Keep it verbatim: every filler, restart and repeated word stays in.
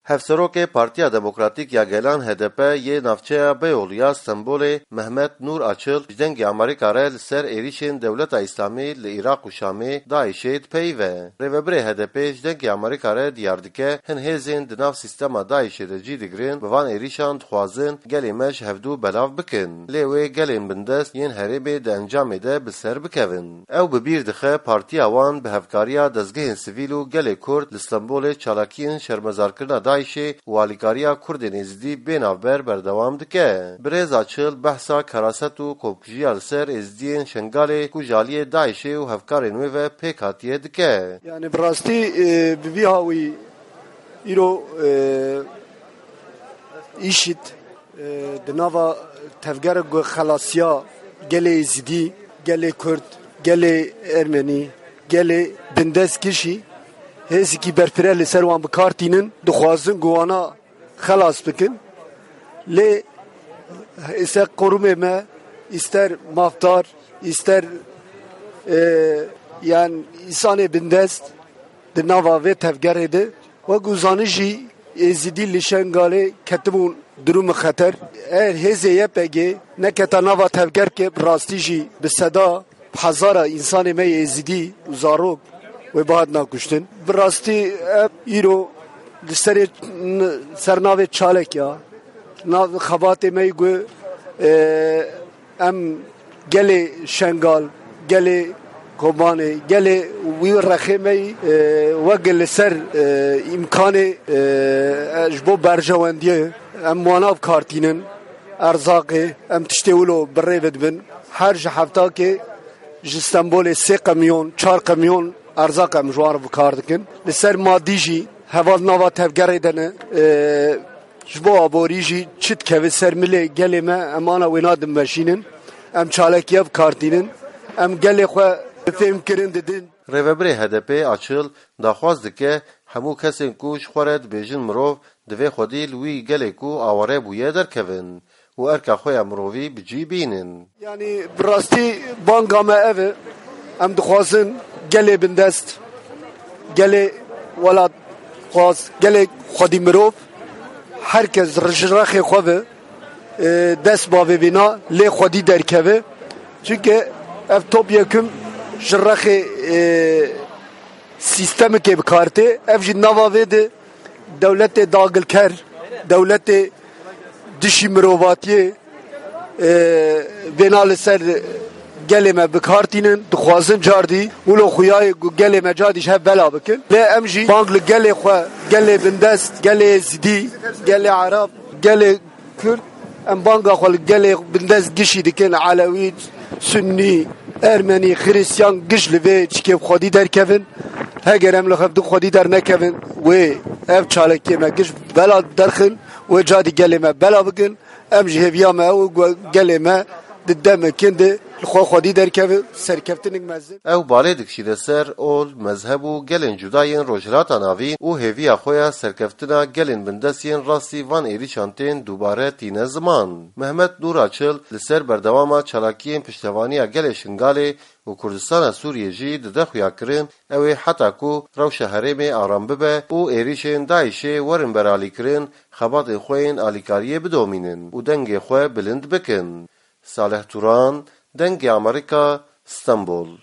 Hevserokê Partiya Demokratîk ya Gelan H D P yê navçeya Beyoğlu ya Stenbolê Mehmet Nur Açıl ji Dengê Amerîka re li ser êrîşên Dewleta Îslamî li Iraq û Şamê DAIŞ'ê dipeyive. Rêvebirê H D P ji Dengê Amerîka re diyar dike, hin hêzên di nav sîstema DAIŞ'ê de cî digirin, bi van êrîşan dixwazin gelê me ji hevdû belav bikin. Lê wê gelên bindest yên herêmê di encamê de bi ser bikevin. Ew bi bîr dixe partiya wan bi hevkariya dezgehên sivîl û gelê Kurd li Stenbolê çalakiyên şermezarkirina DAIŞ'ê û alîkariya Kurdên Êzidî bê navber berdewam dike. Birêz Açıl behsa keraset û komkujiya li ser Êzidiyên Şengalê ku ji aliyê DAIŞ'ê û hevkarên wê ve pêk hatiye dike. Yani bi rastî, e, bi vî hawî îro, e, îşît, e, di nava tevgerek ku xelasiya gelê Êzidî, gelê Kurd, gelê Ermenî, gelê bindest kişî, hêzikî berfireh li ser wan bi kar tînin, dixwazin ku wana xelas bikin. Lê îster qurumê me, îster mafdar, îster, e, yan însanê bindest, di nava vê tevgerê de, wek ku zanî jî Êzidî li Şengalê ketibûn durûmê xeter. Eger hêzê Y P G neketa nava tevgerkê, bi rastî jî bi seda, bi hezara însanê me yê Êzidî û zarok wê bihatina kuştin. Bi rastî ev îro li serê, ser navê çalek ya. Nav xebatê me yî ku, e, em gelê Şengal, gelê Kobanê, gelê wî rexê me yî, e, wek li ser, e, îmkanê, e, e, ji bo berjewendiyê em wana bi kar tînin, erzaqê, em tiştê wilo bi rê ve dibin. Her ji heftakê ji Stenbolê sê qemyon, çar qemyon erzaq em ji wan re bi kar dikin. Li ser madî jî heval nava tevgerê de ne. E, Ji bo aborî jî çi dikeve ser milê gelê me, em ana wêna dimeşînin, em çalekiya bi kar tînin, em gelê xwe bi fêhm kirin didin. Rêvebirê H D P Açıl daxwaz dike hemû kesên ku ji xwe re dibêjin mirov, divê xwedî li wî gelê ku aware bûye derkevin û erka xwe ya mirovî bi cî bînin. Yani bi rastî banga me ev e. Em dixwazin gelê bindest, gelê welatxwaz, gelê xwedî mirov, her kes ji rexê xwe ve, e, dest bavê vêna lê xwedî derkeve. Çunke ev top yekim ji rexê, e, sîstemekê bi kar tê. Ev jî nava vê de dewletê dagilker, dewletê dişî mirovatiyê, e, vêna li ser gelê me bi kar tînin, dixwazin cardî wilo xuyayê ku gelê me cardî ji hev bela bikin. Lê em jî bang li gelê xwe, gelê bindest, gelê Êzidî, gelê Erab, gelê Kurd, em banga xwe li gelê bindest gişî dikin, Elewî, Sunnî, Ermenî, Xiristiyan, giş li vê çikê xwedî derkevin. Heger em li xev di xwedî dernekevin, wê ev çalekiyê me giş bela derxin, wê cadî gelê me bela bikin. Em ji hêviya me ew ku gelê me di demê kin de li xwe xwedî derkeve, serkeftinek mezin. Ew balê dikişîne ser ol, mezheb û gelên cuda yên Rojhilata Navîn û hêviya xwe ya serkeftina gelên bindest yên rastî van êrîşan tên dubare tîne ziman. Mehmet Nur Açıl li ser berdewama çalakiyên piştevaniya gelê Şingalê û Kurdistana Sûriyê jî dide xuyakirin, ew ê heta ku rewşa herêmê aram bibe û êrîşên DAIŞ'ê werin beralîkirin, xebatên xwe yên alîkariyê bidomînin û dengê xwe bilind bikin. Salih Turan, Dengê Amerîka, Stenbol.